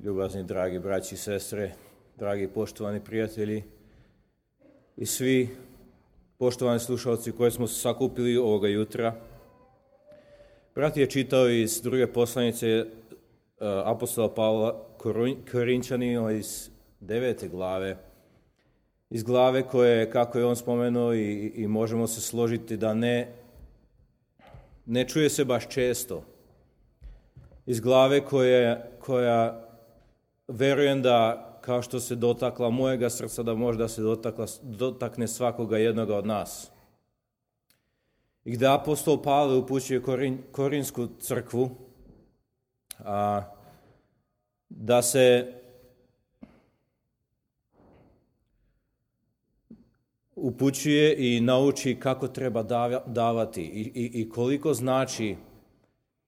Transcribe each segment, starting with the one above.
ljubazni dragi braći i sestre, dragi poštovani prijatelji i svi poštovani slušalci koji smo se sakupili ovoga jutra. Brat je čitao iz druge poslanice apostola Pavla Korinčanima iz 9. glave. Iz glave koje, kako je on spomenuo i možemo se složiti da ne čuje se baš često. Iz glave koja verujem da, kao što se dotakla mojega srca, da možda se dotakne svakoga jednoga od nas. I gdje apostol Pavle upućuje Korinsku crkvu, da se upućuje i nauči kako treba davati i koliko znači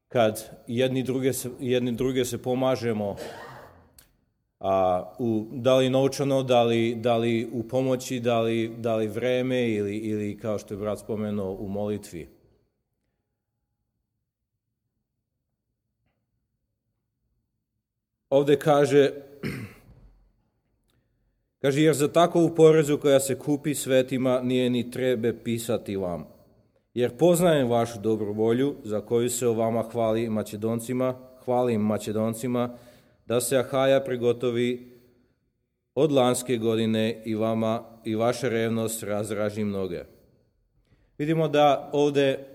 kad jedni druge se pomažemo, da li novčano, da li u pomoći, da li vreme ili kao što je brat spomenuo u molitvi. Ovdje kaže, jer za takovu porezu koja se kupi svetima nije ni trebe pisati vam. Jer poznajem vašu dobru volju za koju se o vama hvalim Macedoncima, da se Ahaja prigotovi od lanske godine i vama i vaša revnost razdraži mnoge. Vidimo da ovdje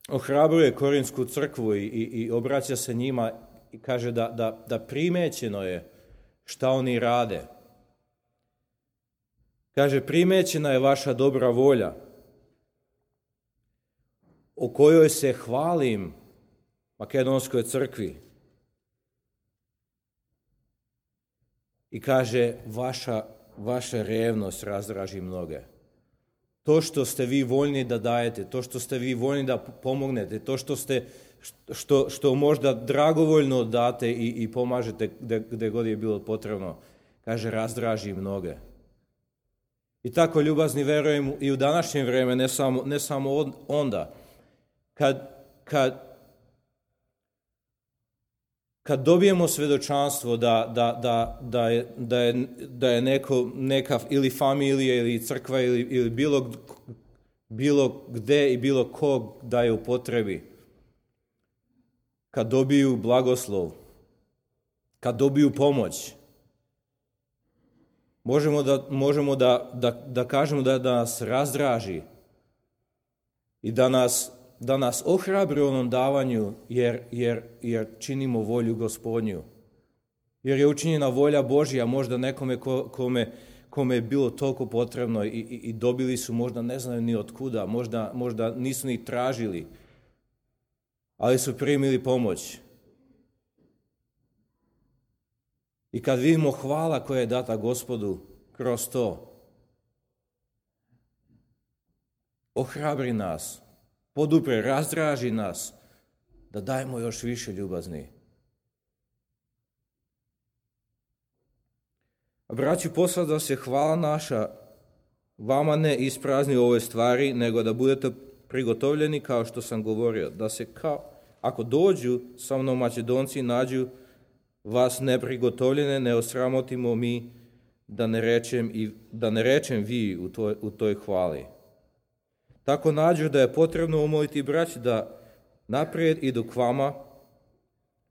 ohrabruje Korinsku crkvu i obraća se njima i kaže da primećeno je šta oni rade. Kaže, primećena je vaša dobra volja, o kojoj se hvalim Makedonskoj crkvi. I kaže, vaša revnost razdraži mnoge. To što ste vi voljni da dajete, to što ste vi voljni da pomognete, to što možda dragovoljno date i pomažete gdje god je bilo potrebno, kaže, razdraži mnoge. I tako, ljubazni, verujem i u današnje vrijeme, ne samo onda, kad dobijemo svjedočanstvo da je neka ili familija ili crkva ili bilo gde i bilo kog da je u potrebi, kad dobiju blagoslov, kad dobiju pomoć, možemo da kažemo da nas razdraži i da nas ohrabri u onom davanju, jer činimo volju Gospodnju. Jer je učinjena volja Božja možda nekome kome je bilo toliko potrebno i dobili su, možda ne znaju ni od kuda, možda nisu ni tražili, ali su primili pomoć. I kad vidimo hvala koja je data Gospodu kroz to, ohrabri nas, podupre, razdraži nas, da dajemo još više, ljubazni. A braći, posla se hvala naša vama ne isprazni u ovoj stvari, nego da budete prigotovljeni, kao što sam govorio, da se ako dođu sa mnom Makedonci nađu vas neprigotovljene, ne osramotimo mi, da ne rečem vi u toj hvali. Tako nađu da je potrebno umoliti braći da naprijed idu k vama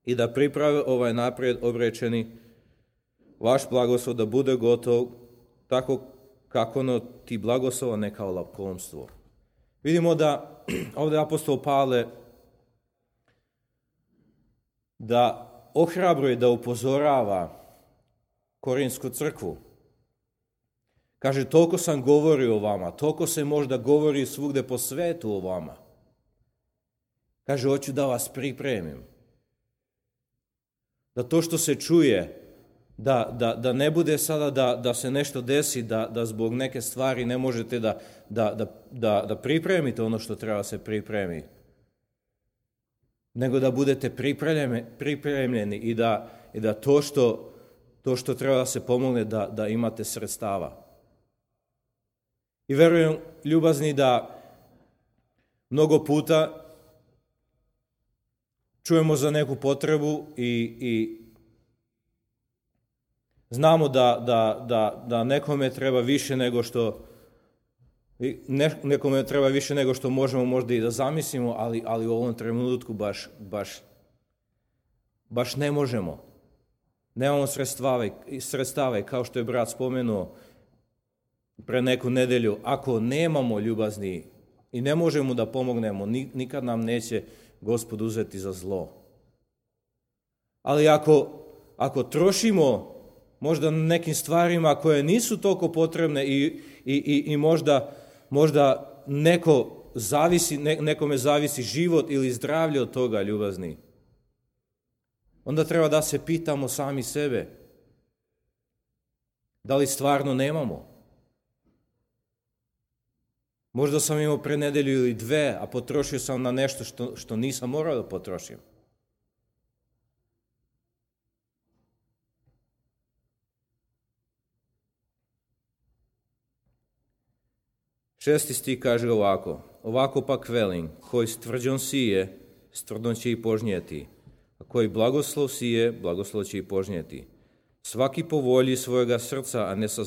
i da priprave ovaj naprijed obrečeni vaš blagoslov da bude gotov, tako kako ti blagoslova ne kao lakomstvo. Vidimo da ovdje apostol Pavle da ohrabruje, da upozorava Korinsku crkvu. Kaže, toliko sam govorio o vama, toliko se možda govori svugdje po svetu o vama. Kaže, hoću da vas pripremim. Da to što se čuje, da ne bude sada da se nešto desi, da zbog neke stvari ne možete da pripremite ono što treba se pripremi. Nego da budete pripremljeni i da to što treba da se pomogne, da imate sredstava. I verujem, ljubazni, da mnogo puta čujemo za neku potrebu i Znamo da nekome treba više nego što možemo možda i da zamislimo, ali u ovom trenutku baš ne možemo. Nemamo sredstava i kao što je brat spomenuo pre neku nedelju, ako nemamo ljubazni i ne možemo da pomognemo, nikad nam neće Gospod uzeti za zlo. Ali ako trošimo možda na nekim stvarima koje nisu toliko potrebne i možda nekome zavisi život ili zdravlje od toga, ljubazni, onda treba da se pitamo sami sebe, da li stvarno nemamo? Možda sam imao pre nedelju ili dve, a potrošio sam na nešto što nisam morao da potrošim. Šesti stih kaže ovako pak velim, koji s tvrđom sije, s tvrdom će i požnjeti, a koji blagoslov sije, blagoslov će i požnjeti. Svaki po volji svojega srca, a ne sa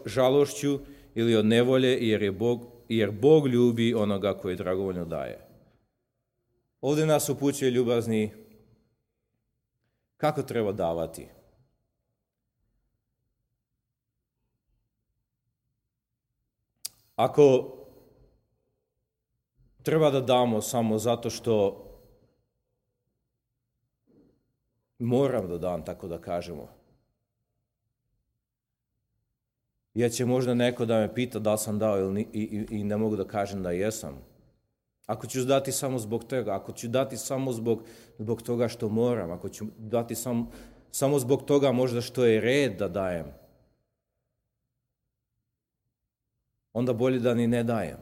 žalošću ili od nevolje, jer Bog ljubi onoga koji dragovoljno daje. Ovdje nas upućuje, ljubazni, kako treba davati. Ako treba da damo samo zato što moram da dam, tako da kažemo, jer će možda neko da me pita da sam dao i ne mogu da kažem da jesam. Ako ću dati samo zbog toga, ako ću dati samo zbog toga što moram, ako ću dati samo zbog toga možda što je red da dajem, onda bolje da ni ne dajem.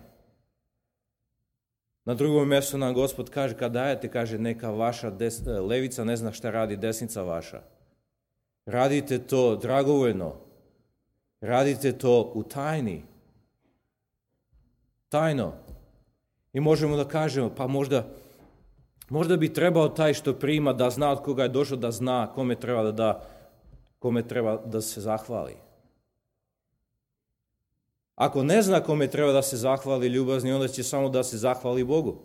Na drugom mjestu nam Gospod kaže, kad dajete, kaže, neka vaša levica ne zna šta radi desnica vaša. Radite to dragovoljno. Radite to u tajno. I možemo da kažemo, pa možda bi trebao taj što prima da zna od koga je došao, da zna kome treba da se zahvali. Ako ne zna kome treba da se zahvali, ljubazni, onda će samo da se zahvali Bogu.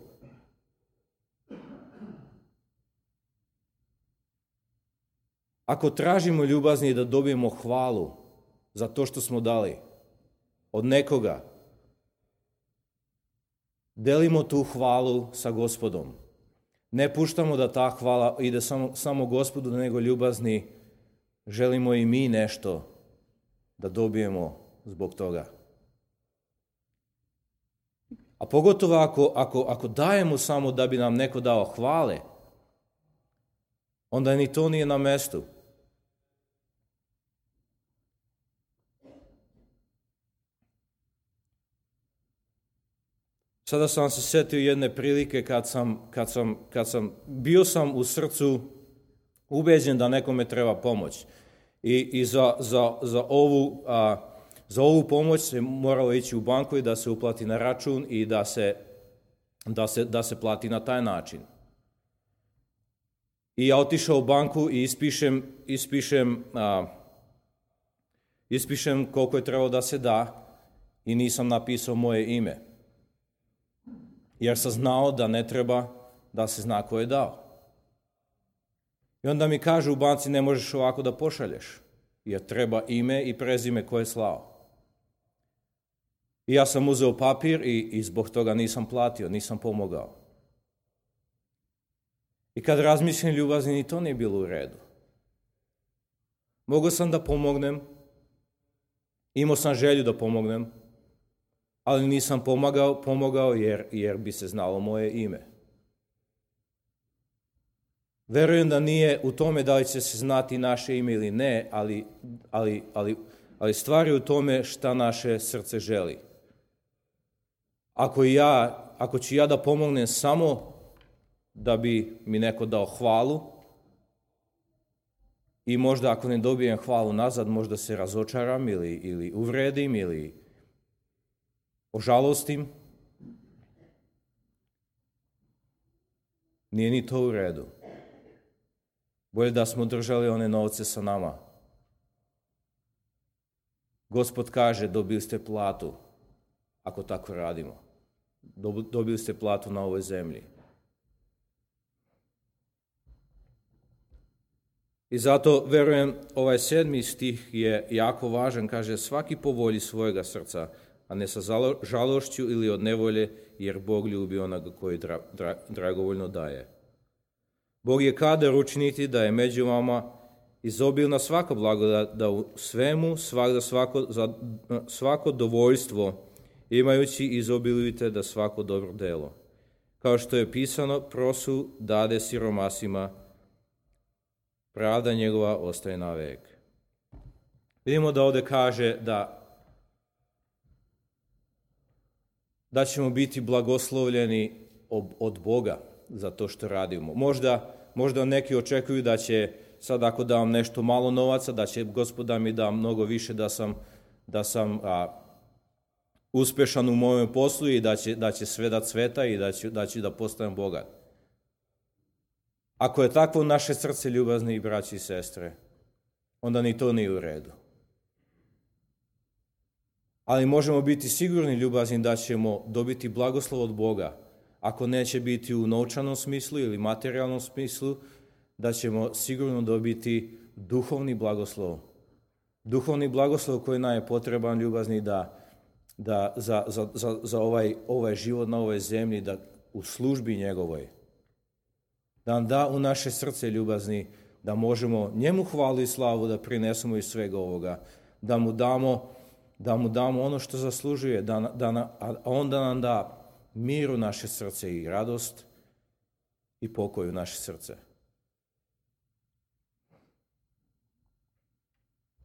Ako tražimo, ljubazni, da dobijemo hvalu za to što smo dali od nekoga, delimo tu hvalu sa Gospodom. Ne puštamo da ta hvala ide samo Gospodu, nego, ljubazni, želimo i mi nešto da dobijemo zbog toga. A pogotovo ako dajemo samo da bi nam neko dao hvale, onda ni to nije na mestu. Sada sam se setio jedne prilike kad sam bio u srcu ubeđen da nekome treba pomoć. I za ovu pomoć se moralo ići u banku i da se uplati na račun i da se plati na taj način. I ja otišao u banku i ispišem koliko je trebalo da se da i nisam napisao moje ime. Jer sam znao da ne treba da se zna ko je dao. I onda mi kažu u banci, ne možeš ovako da pošalješ, jer treba ime i prezime ko je slao. I ja sam uzeo papir i zbog toga nisam platio, nisam pomogao. I kad razmišljam, ljubazni, ni to nije bilo u redu. Mogao sam da pomognem, imao sam želju da pomognem, ali nisam pomogao jer bi se znalo moje ime. Verujem da nije u tome da li će se znati naše ime ili ne, ali stvar je u tome šta naše srce želi. Ako ću ja da pomognem samo da bi mi neko dao hvalu i možda ako ne dobijem hvalu nazad, možda se razočaram ili uvredim ili ožalostim, nije ni to u redu. Bolje da smo držali one novce sa nama. Gospod kaže, dobili ste platu ako tako radimo. Dobili ste platu na ovoj zemlji. I zato, verujem, ovaj 7. stih je jako važan. Kaže, svaki po volji svojega srca, a ne sa žalošću ili od nevolje, jer Bog ljubi onoga koji dragovoljno daje. Bog je kadar učiniti da je među vama izobilna svaka blagodat, da u svemu, svakda svako dovoljstvo, imajući izobilujete da svako dobro delo. Kao što je pisano, prosu dade siromasima, pravda njegova ostaje na vek. Vidimo da ovdje kaže da ćemo biti blagoslovljeni od Boga za to što radimo. Možda neki očekuju da će sad ako dam nešto malo novaca, da će Gospod da mi da mnogo više da sam uspešan u mojem poslu i da će sve da cveta i da ću da postanem bogat. Ako je takvo naše srce, ljubazni braći i sestre, onda ni to nije u redu. Ali možemo biti sigurni, ljubazni, da ćemo dobiti blagoslov od Boga. Ako neće biti u novčanom smislu ili materijalnom smislu, da ćemo sigurno dobiti duhovni blagoslov. Duhovni blagoslov koji nam je potreban, ljubazni, da za ovaj život na ovoj zemlji, da u službi njegovoj, da nam da u naše srce, ljubazni, da možemo njemu hvalu i slavu da prinesemo iz svega ovoga, da mu damo ono što zaslužuje, a on da nam da mir u naše srce i radost i pokoj u naše srce.